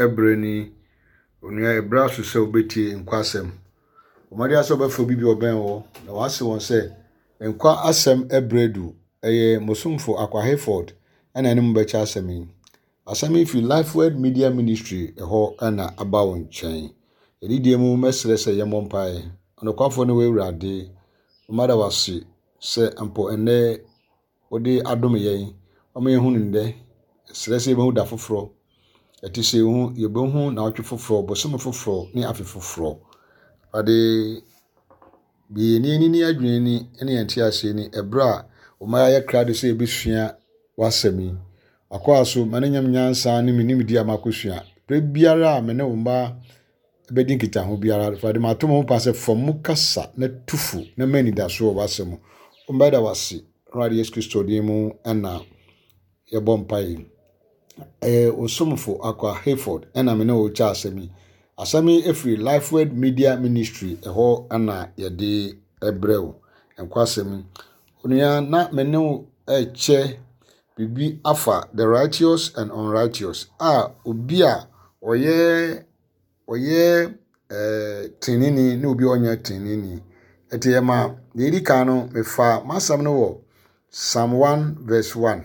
Ɛberɛ ni, onua ɛberɛ aso sɛ wobɛtie nkwa asɛm. Bɔ mmɔden ara sɛ wobɛfrɛ obi bi a ɔbɛn wo na wase wɔn sɛ nkwa asɛm ɛberɛ adu. Ɛyɛ mo somfo Akwa Hayford ɛna ɛne mo bɛkyɛ asɛm yi. Asɛm yi firi Lifeword Media Ministry ɛhɔ na aba wo nkyɛn. Ɛdidie mu mɛsrɛ sɛ yɛmmɔ mpaeɛ. Ɔnokwafoɔ ne wo Awurade, mada wo ase sɛ mpo ɛnnɛ wode adom yɛn, wama yɛahu no nnɛ. Yɛsrɛ sɛ yɛbɛhu da foforɔ. Ɛte sɛ yɛhu yɛbɛhu naawɔtwe foforɔ, bosome foforɔ ne afe foforɔ. Awurade, bue yɛn ani ne yɛn adwene ani ne yɛn nteaseɛ ani ɛberɛ a woma yɛayɛ krado sɛ yɛbɛsua w'asɛm yi. W'akoa so, ma no nyɛ me nyansa ne me nimdeɛ a makɔsua. Berɛ biara a me ne wo mma bɛdi nkitaho biara, Awurade, mato me ho pa sɛ fa mu kasa na tu fo na ma anidaso wɔ w'asɛm mu. Mbɛda w'ase, Awurade Yesu Kristo din mu na yɛbɔ mpaeɛ. Ɛyɛ wo somfo Akwa Hayford ɛna me ne wo kyɛ asɛm yi. Asɛm yi ɛfiri Lifeword Media Ministry ɛhɔ na yɛde ɛbrɛ wo. Nkwa asɛm yi. Onua na me ne wo ɛkyɛ biribi afa the righteous and unrighteous a obi a ɔyɛ ɔyɛ ɛɛ teneneeni ne obi a ɔnyɛ teneneeni. Ɛti ɛma deɛ ɛdi kan no mefa m'asɛm no wɔ Psalm 1 verse 1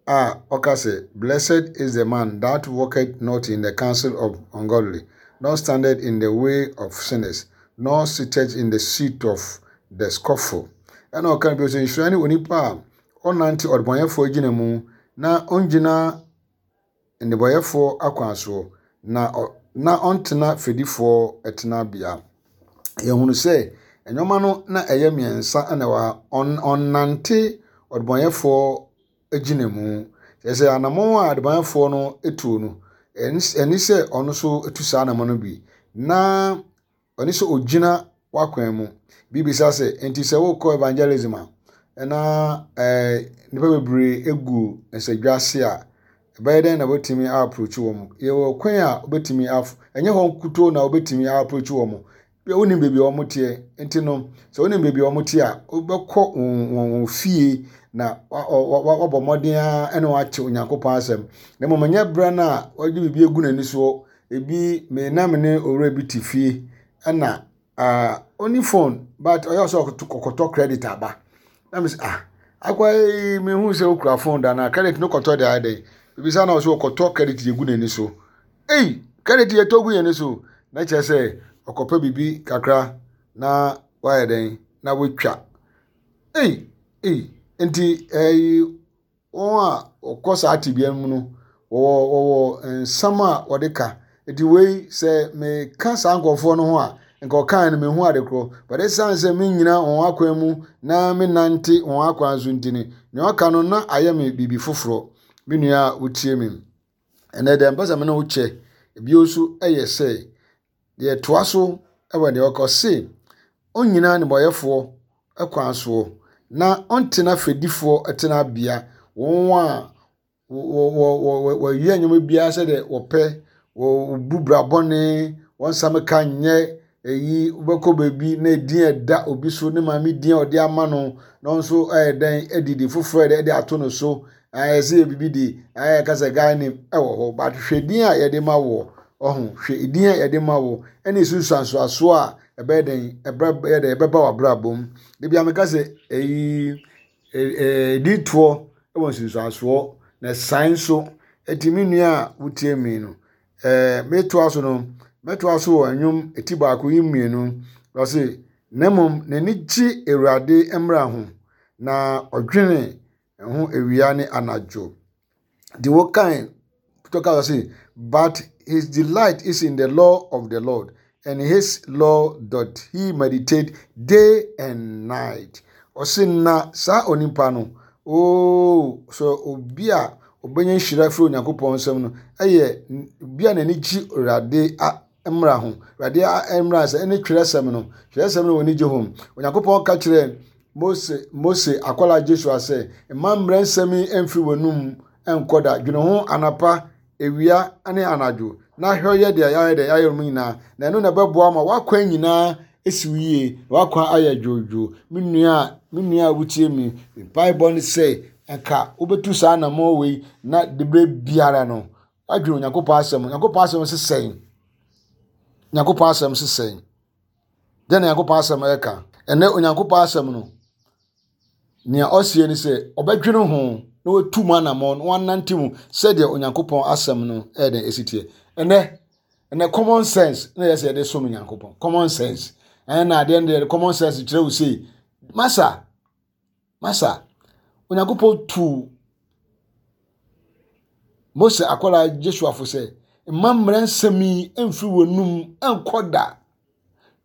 a ɔka sɛ blessed is the man that walketh not in the counsel of ungodly, nor standeth in the way of sinners, nor sitteth in the seat of the scoffle. Ɛna ɔka bio sɛ nhyira ne onipa a ɔnnante ɔdebɔneyɛfoɔ agyina mu na ɔngyina nnebɔneyɛfoɔ akwan soɔ, na ɔ na ɔntena fɛdifoɔ tenabea. Yɛhunu sɛ nneɛma no na ɛyɛ mmiɛnsa na ɛwɔ ha. Ɔn ɔnnante ɔdebɔneyɛfoɔ agyina mu. Kyerɛ sɛ anammɔn a adebɔneyɛfoɔ no tuo no, ɛne sɛ ɔno nso tu saa anammɔn no bi. Na ɔne sɛ ogyina w'akwan mu. Bi bisa sɛ, enti sɛ wokɔ evangelism a, na eh, nnipa bebree egu nsadwa ase a, ɛbɛyɛ dɛn na wobɛtumi approach wɔn? Yɛwɔ kwan a wobɛtumi af ɛnyɛ hɔ nkutoo na wobɛtumi approach wɔn. Bia wonim baabi a wɔn teɛ, nti no sɛ wonim baabi a wɔn te a, wobɛkɔ wɔn wɔn fie na wabɔ mmɔden ara ne wɔn akyɛ Onyankopɔn asɛm. Na mmom ɛnyɛ berɛ no a wɔde biribi agu n'ani soɔ Ebi me na me ne owura bi te fie ɛna ah ɔni phone but ɔyɛ sɛ ɔkɔtɔ credit aba. Na me sɛ ah akwa yi me hu sɛ okura phone da na credit no kɔtɔ de ayɛ dɛn. Ebisa na ɔsɛ ɔkɔtɔ credit de gu n'ani so. Ei credit yɛ tɔ gu yɛn ani so. Na kyerɛ sɛ ɔkɔpɛ biribi kakra na wayɛ dɛn na watwa. Ei ei nti ɛyi. Wɔn a wɔkɔ saa tebea no mu no, wɔwɔ wɔwɔ nsɛm a wɔde ka. Nti wei sɛ meka saa nkurɔfoɔ no ho a, nka ɔkae no mehu ade korɔ. But ɛsiane sɛ mennyina wɔn akwan mu na menante wɔn akwan so nti no, nea ɔka no na ayɛ me biribi foforɔ. Me nua a wotie me, ɛnɛ deɛ mpɛ sɛ me ne wo kyɛ bio nso yɛ sɛ, Deɛ ɛtoa so wɔ deɛ ɔka ɔse, ɔnnyina nnebɔyɛfoɔ kwan soɔ, na ɔntena fɛdifoɔ tenabea, wɔn a wɔyɛ nneɛma biara sɛdeɛ wɔpɛ, wɔbu bra bɔne, wɔn nsa ka nyɛ eyi, wobɛkɔ baabi na edin a ɛda obi so, ne maame din a ɔde ama no, na ɔno nso ayɛ dɛn adidi foforɔ a ɛde ato no so, Ayɛ sɛ yɛ biribi de ayɛ ka sɛ guy name ɛwɔ hɔ but hwɛ din a yɛde ma woɔ ɔho hwɛ din a yɛde ma wo ɛne nsunsuansoasoɔ a ɛbɛyɛ dɛn ɛbɛyɛ dɛn ɛbɛba w'abrabɔ mu de bia meka sɛ ɛyi ɛdi toɔ ɛwɔ nsunsuansoɔ na ɛsan nso ɛti me nua a wotie mi no ɛɛ metoa so no mɛtoa so wɔ nnwom ɛti baako yi mmienu ɔse na mmom n'ani gye awurade mmara ho na ɔdwene ho awia ne anadwo. De wo kan to ka say, but his delight is in the law of the Lord, and his law doth he meditate day and night. Ɔse na saa onipa no, oo, sɛ obi a ɔbɛnya nhyira firi Onyankopɔn nsam no, ɛyɛ obi a n'ani gye Awurade mmara ho. Awurade mmara sɛ ɛne twerɛsɛm no. Twerɛsɛm no wɔn ani gye ho. Onyankopɔn ka kyerɛɛ Mose Mose akwadaa Joshua sɛ, mma mmara nsɛm yi mfiri w'anum nkɔ da. Dwene ho anapa, awia ne anadwo, na hwɛ yɛ deɛ yɛayɛ deɛ yɛayɛ no nyinaa. Na ɛno na ɛbɛboa ma w'akwan nyinaa asi wo yie, na w'akwan ayɛ dwoodwoo. Me nua me nua a wotie me, mpaebɔ ne sɛ nka wobɛtu saa anammɔn wei na de berɛ biara no. Adwene Onyankopɔn asɛm. Onyankopɔn asɛm se sɛn? Onyankopɔn asɛm se sɛn? Dɛn na Onyankopɔn asɛm ɛka? Ɛnɛ Onyankopɔn asɛm no, nea ɔseɛ ne sɛ ɔbɛdwene ho na watu mu anammɔn na wanante mu sɛdeɛ Onyankopɔn asɛm no ɛyɛ dɛn ɛsi teɛ. Ɛnɛ ɛnɛ common sense na yɛ sɛ yɛde som Onyankopɔn. Common sense. Ɛna adeɛ no deɛ common sense kyerɛ wo sei. Masa, Masa, Onyankopɔn tuu Mose akwadaa Joshua fo sɛ, mma mmara nsɛm yi mfiri w'anum nkɔ da.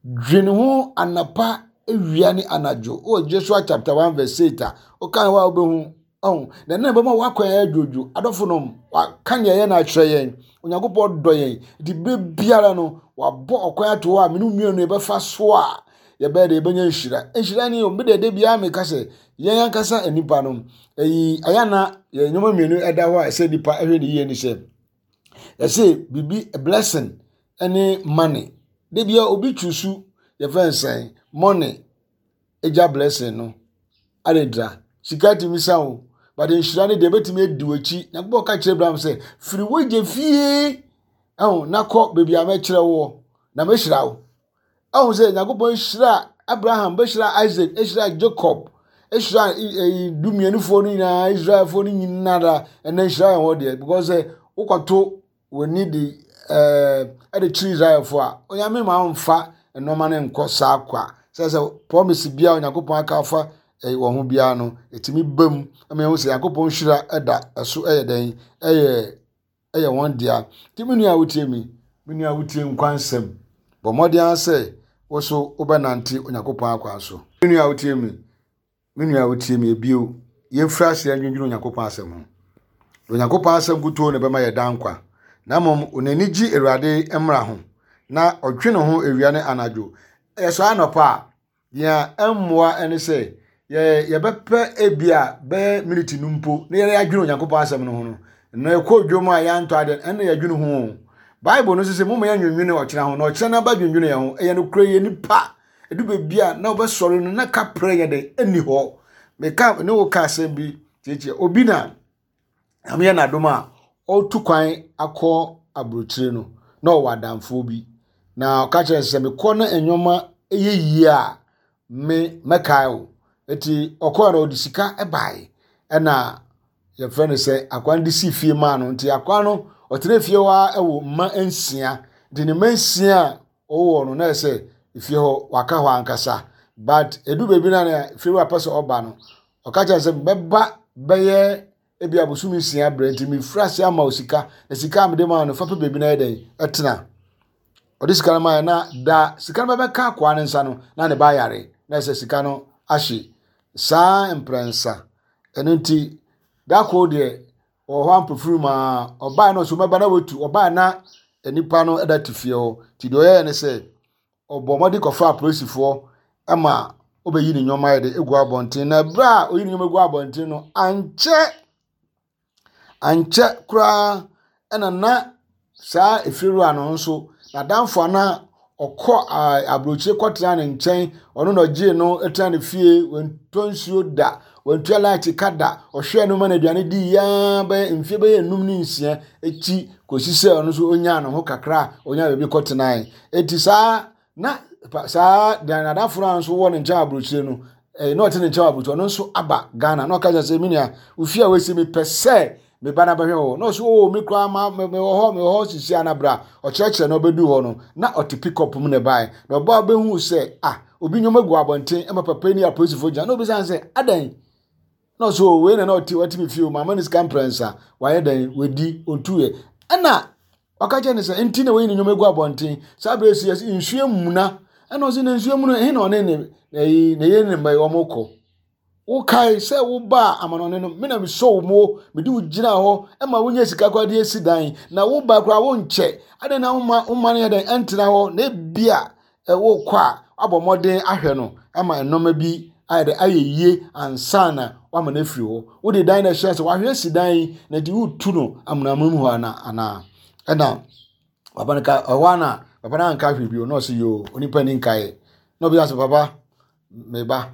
Dwene ho anapa, awia ne anadwo. Wɔ Joshua chapter 1 verse 8 a, wokan hɔ a wobɛhu ɔho. Na ɛno na ɛbɛma w'akwan ayɛ dwodwo. Adɔfo nom, waka nea ɛyɛ no akyerɛ yɛn. Onyankopɔn dɔ yɛn. Nti berɛ biara no, wabɔ ɔkwan ato hɔ a mene mmienu yɛbɛfa so a yɛbɛyɛ dɛ yɛbɛnya nhyira. Nhyira ni o, me deɛ da biara meka sɛ yɛn ankasa nnipa no, ɛyi ɛyɛ na yɛn nneɛma mmienu ɛda hɔ a ɛsɛ nnipa ɛhwɛ ne yie ne sɛ yɛsɛ biribi blessing ɛne money. Da biara obi twusu yɛfrɛ no sɛn money egya blessing no adedra sika tumi sa o but nhyira no deɛ ebɛtumi adi w'akyi. Nyankopɔn ka kyerɛ Abraham sɛ firi w'agya fie ɛho na kɔ baabi a mɛkyerɛ woɔ na mɛhyira wo. Ahu sɛ Nyankopɔn hyira Abraham, bɛhyira Isaac, hyira Jacob, hyira ɛyi dumienufoɔ no nyinaa, Israelfoɔ no nyinara, ɛnna nhyira yɛn hɔ deɛ, because sɛ wokɔto w'ani de ɛɛ ɛde kyerɛ Israelfoɔ a, Onyame ma ɔmfa nneɛma no nkɔ saa kwa. Sɛ promise biara Onyankopɔn aka afa ɛyi wɔn ho biara no, ɛtumi ba mu ɛma yɛhu sɛ Nyankopɔn hyira ɛda ɛso ɛyɛ dɛn ɛyɛ yɛ wɔn dea. Nti me nua a wotie me, me nua a wotie nkwa nsɛm, bɔ mmɔden ara sɛ wo so wobɛnante Onyankopɔn akwan so. Me nua a wotie me, me nua a wotie me, ebio, yɛmfiri aseɛ ndwendwene Onyankopɔn asɛm ho. Na Onyankopɔn asɛm nkutoo na ɛbɛma yɛ daa nkwa. Na mmom n'ani gye Awurade mmara ho, na ɔdwene ho awia ne anadwo. Ɛyɛ anɔpa a, Nea ɛmmoa ne sɛ yɛ yɛbɛpɛ ebia bɛyɛ miniti no mpo na yɛadwene Onyankopɔn asɛm no ho no. Na yɛkɔ dwom a yɛantɔ ade ɛnna yɛdwene ho o. Bible no nso sɛ momma yɛnnwennwene ɔkyena ho na ɔkyena no aba dwendwene yɛn ho. Ɛyɛ nokorɛ yɛ nipa. Ɛdu baabi a na wobɛsɔre no na kaprɛ yɛ dɛn ɛnni hɔ. Meka ne wo ka asɛm bi tietie obi na Nyame yɛ n'adom a ɔretu kwan akɔ aburokyire no, na ɔwɔ adamfoɔ bi. Na ɔka kyerɛ no sɛ mekɔ na nneɛma yɛ yie a, me mɛkae wo. Eti ɔkɔɛ no ɔde sika bae ɛna yɛfrɛ no sɛ akoa no de sii fie maa no. Nti akoa no ɔtena fie hɔ ara wɔ mma nsia. Nti ne mma nsia a ɔwɔ no na ɛsɛ fie hɔ waka hɔ ankasa. But edu baabi na fie wura pɛ sɛ ɔba no, ɔka kyerɛ sɛ mɛba bɛyɛ ebi abosom nsia brɛ nti mefiri ase ama wo sika na sika a mede maa no fa pɛ baabi na yɛ dɛn ɛtena ɔde sika no maa na da sika no bɛbɛka akoa no nsa no na ne ba yare na ɛsɛ sika no ahye saa mprɛnsa ɛno nti da koro deɛ ɔwɔ hɔ ampofiri mu a ɔbaa no so mɛba na watu ɔbaa na nipa no ɛda te fie hɔ nti deɛ ɔyɛɛ ne sɛ ɔbɔɔ mmɔden kɔfaa apolisifoɔ ma wɔbɛyi ne nneɛma ayɛ de gu abɔnten. Na berɛ a ɔyi ne nneɛma gu abɔnten no, ankyɛ ankyɛ koraa ɛna na saa efiewura no nso n'adamfo a na ɔkɔ aburokyire kɔtena ne nkyɛn, ɔno na ɔgyee no tena ne fie, wantɔ nsuo da, wantua light ka da, ɔhwɛɛ no ma no aduane dii ara bɛyɛ mfeɛ bɛyɛ nnum ne nsia akyi kɔsi sɛ ɔno nso ɔnyaa ne ho kakra a ɔnyaa baabi kɔtenae. Eti saa na saa deɛ n'adamfo no a nso wɔ ne nkyɛn aburokyire no ɛɛ na ɔte ne nkyɛn aburokyire ɔno nso aba Ghana na ɔka kyerɛ sɛ me nua ofie a wɔasi mi pɛ sɛ me ba na bɛhwɛ hɔ na ɔso oo me koraa ma me wɔ hɔ me wɔ hɔ sisi ana bra ɔkyerɛkyerɛ na ɔbɛdu hɔ no na ɔte pickup mu na ɛbae na ɔbaa bɛhu sɛ ah obi nneɛma gu abɔnten ɛma papa yi ne apolisifoɔ gyina na obisa sɛ adɛn Na ɔsɛ o wei na na ɔte ɔte me fie o maama ne sika mprɛnsa wayɛ dɛn wadi ɔntuiɛ ɛna ɔka kyerɛ ne sɛ nti na wayi ne nneɛma gu abɔnten saa berɛ si yɛsɛ nsuo amuna ɛna ɔsɛ na nsuo amuna ɛhe na ɔne ne ɛyi ne yere ne mma yi wɔn kɔ wokae sɛ wobaa amanɔne no me na mesɔ wo mu mede wo gyina hɔ ɛma wonya sika koraa de asi dan na woba koraa wonkyɛ adɛn na woma woma no yɛ dɛn ɛntena hɔ na ebia wokɔ a, woabɔ mmɔden ahwɛ no ama nneɛma bi ayɛ dɛ ayɛ yie ansa na woama no afiri hɔ. Wode dan na ɛhyɛ sɛ wahwɛ asi dan yi na nti wotu no amonamono mu hɔ ana anaa ɛna papa no ka ɛhɔ ana papa no anka hwee bio na ɔsɛ yoo onipa ni nkaeɛ na ɔbisa sɛ papa me ba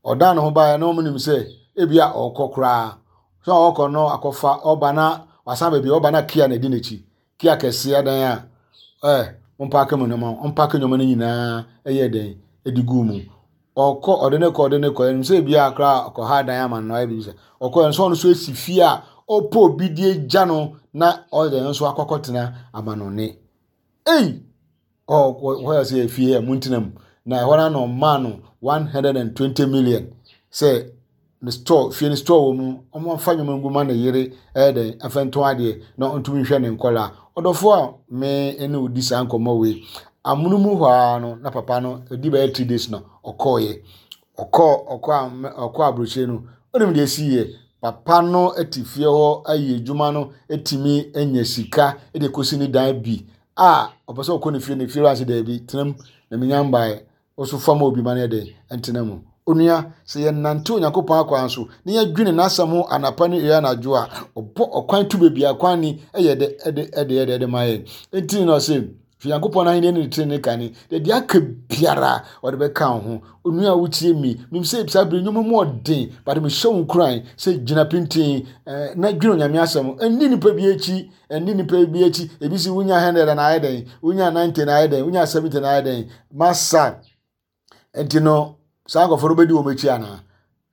ɔdan ne ho baeɛ na wɔn nim sɛ ebia ɔrekɔ koraa sɛ ɔrekɔ no akɔfa ɔba na wasan baabi ɔba na kia na ɛdi n'akyi. Kia kɛseɛ adan a ɛ ɔmpaake mo nneɛma ɔmpaake nneɛma no nyinaa ɛyɛ dɛn ɛde guu mu. Ɔkɔ ɔde ne kɔ ɔde ne kɔ ɛnim sɛ ebi a koraa ɔkɔ ha dan ama no ayɛ biribi sɛ ɔkɔ nso ɔno nso esi fie a ɔpɛ obi de agya no na ɔde nso akɔkɔtena amanɔne. Ei! Ɔ hɔ yɛ sɛ efie a montena mu. Na ɛhɔ no na ɔmaa no 120 million sɛ ne store fie ne store wɔ mu ɔmfa nneɛma ngu ma ne yere ɛyɛ dɛn afa ntɔn adeɛ na ɔntumi nhwɛ ne nkɔla. Ɔdɔfoɔ a me ne wo di saa nkɔmmɔ wei amono mu hɔ ara no na papa no ɛdi bɛyɛ 3 days na ɔkɔɔyɛ ɔkɔɔ ɔkɔ ɔkɔ aburokyire no onim deɛ esi yɛ. Papa no te fie hɔ ayɛ adwuma no etumi anya sika de kɔsi ne dan bi a ɔpɛ sɛ ɔkɔ ne fie ne fie wura sɛ daabi tena mu na menya mbaeɛ ɔso fam obi ma no yɛ dɛn ntena mu. Onua, sɛ yɛnante Onyankopɔn akwan so na yɛdwene n'asɛm ho anapa ne awia anadwo a, ɔbɔ ɔkwan to baabi a kwan ni ɛyɛ dɛ ɛde ɛde ɛde ɛde ma yɛn. Enti na ɔse hwɛ Nyankopɔn ahenni ne ne trenee kane deɛ deɛ aka biara ɔde bɛka wo ho. Onua a wotie mi, nim sɛ saa bere nnwuma mu ɔden, but mehyɛ wo nkuran sɛ gyina pintin na dwene Onyame asɛm. Ɛnni nipa bi akyi, ɛnni nipa bi akyi. Ebi si wonya 100 na ayɛ dɛn, wonya 90 na ayɛ dɛn, wonya 70 na ayɛ dɛn. Masa nti no saa nkurɔfoɔ no bɛdi wɔn akyi anaa?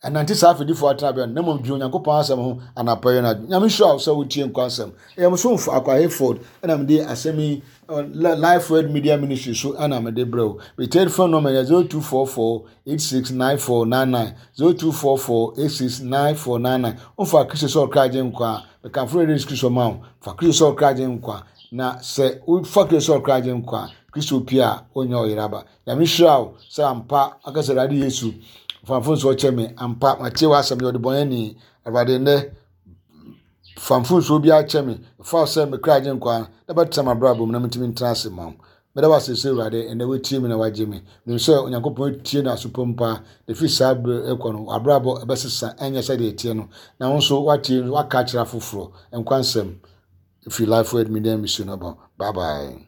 Ɛnante saa afɛdifoɔ atenabea no na mmom dwene Onyankopɔn asɛm ho anapa yi anadwo. Nyame nhyira wo sɛ wotie nkwa asɛm. Ɛyɛ mo somfo Akwa Hayford ɛna mede asɛm yi Life Word Media Ministry so ɛna mede brɛ wo. Me telephone number yɛ 0244 869499, 0244 869499. Womfa Kristo sɛ ɔkra gye nkwa a, mekamfo Awurade Yesu Kristo ma wo. Fa Kristo sɛ ɔkra gye nkwa. Na sɛ wofa Kristo sɛ ɔkra gye nkwa a, Kristo pie a, wonyɛ ɔyeraba. Nyame hyira wo sɛ ampa aka sɛ Awurade Yesu fa mfomsoɔ kyɛ me ampa matie w'asɛm yɛ ɔdebɔneyɛni Awurade nnɛ fa mfomsoɔ biara kyɛ me fa wo sɛ me kra gye nkwa na bɛtena m'abrabɔ mu na mentumi ntena ase ma wo. Meda wo ase sɛ Awurade ɛnnɛ woatie me na woagye me. Menim sɛ Onyankopɔn tie no aso pa mu paa na ɛfiri saa berɛ rekɔ no w'abrabɔ ɛbɛsesa ɛnyɛ sɛdeɛ ɛteɛ no na wo nso woatie woaka akyerɛ afoforɔ. Nkwa nsɛm ɛfiri Life Word Media Mission aba. Bye bye.